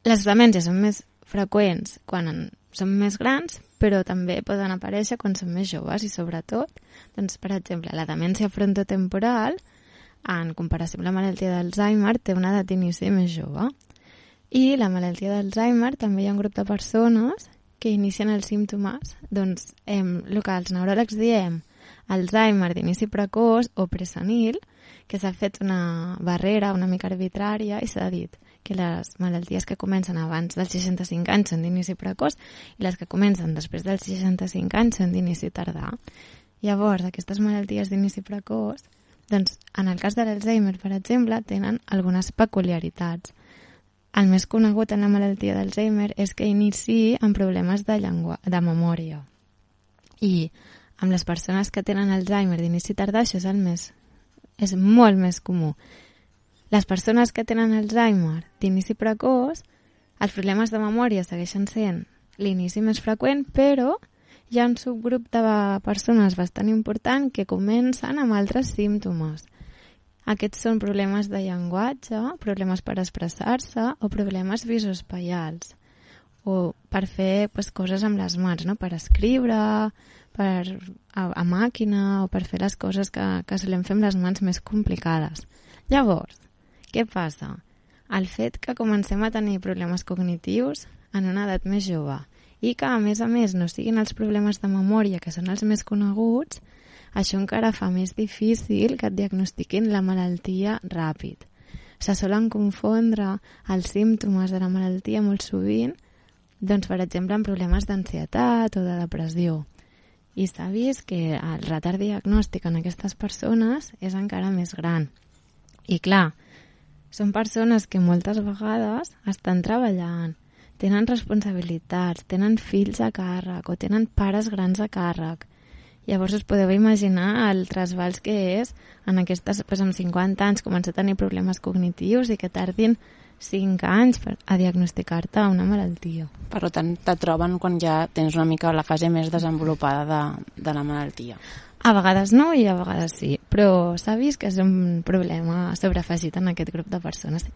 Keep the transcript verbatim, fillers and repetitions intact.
Les demències són més freqüents quan són més grans, però també poden aparèixer quan són més joves i sobretot, doncs, per exemple, la demència frontotemporal, en comparació amb la malaltia d'Alzheimer, té una edat d'inici més jove. I la malaltia d'Alzheimer també hi ha un grup de persones que inicien els símptomes, doncs, em, el que els neuròlegs diem Alzheimer d'inici precoç o presenil, que s'ha fet una barrera una mica arbitrària i s'ha dit que les malalties que comencen abans dels seixanta-cinc anys són d'inici precoç i les que comencen després dels seixanta-cinc anys són d'inici tardà. Llavors, aquestes malalties d'inici precoç, doncs, en el cas de l'Alzheimer, per exemple, tenen algunes peculiaritats. El més conegut en la malaltia d'Alzheimer és que iniciï amb problemes de llengua, de memòria. I amb les persones que tenen Alzheimer d'inici tardà, això és el més, és molt més comú. Les persones que tenen Alzheimer d'inici precoç, els problemes de memòria segueixen sent l'inici més freqüent, però hi ha un subgrup de persones bastant important que comencen amb altres símptomes. Aquests són problemes de llenguatge, problemes per expressar-se o problemes visoespaials, o per fer pues, coses amb les mans, no? Per escriure, per, a, a màquina o per fer les coses que, que solem fer amb les mans més complicades. Llavors, què passa? El fet que comencem a tenir problemes cognitius en una edat més jove i que, a més a més, no siguin els problemes de memòria, que són els més coneguts, això encara fa més difícil que et diagnostiquin la malaltia ràpid. Se solen confondre els símptomes de la malaltia molt sovint, doncs, per exemple, amb problemes d'ansietat o de depressió. I s'ha vist que el retard diagnòstic en aquestes persones és encara més gran. I clar, són persones que moltes vegades estan treballant, tenen responsabilitats, tenen fills a càrrec o tenen pares grans a càrrec. Llavors us podeu imaginar el trasbals que és en aquestes, doncs amb cinquanta anys començar a tenir problemes cognitius i que tardin cinc anys per, a diagnosticar-te una malaltia. Per tant, te troben quan ja tens una mica la fase més desenvolupada de, de la malaltia. A vegades no i a vegades sí, però s'ha vist que és un problema sobreafegit en aquest grup de persones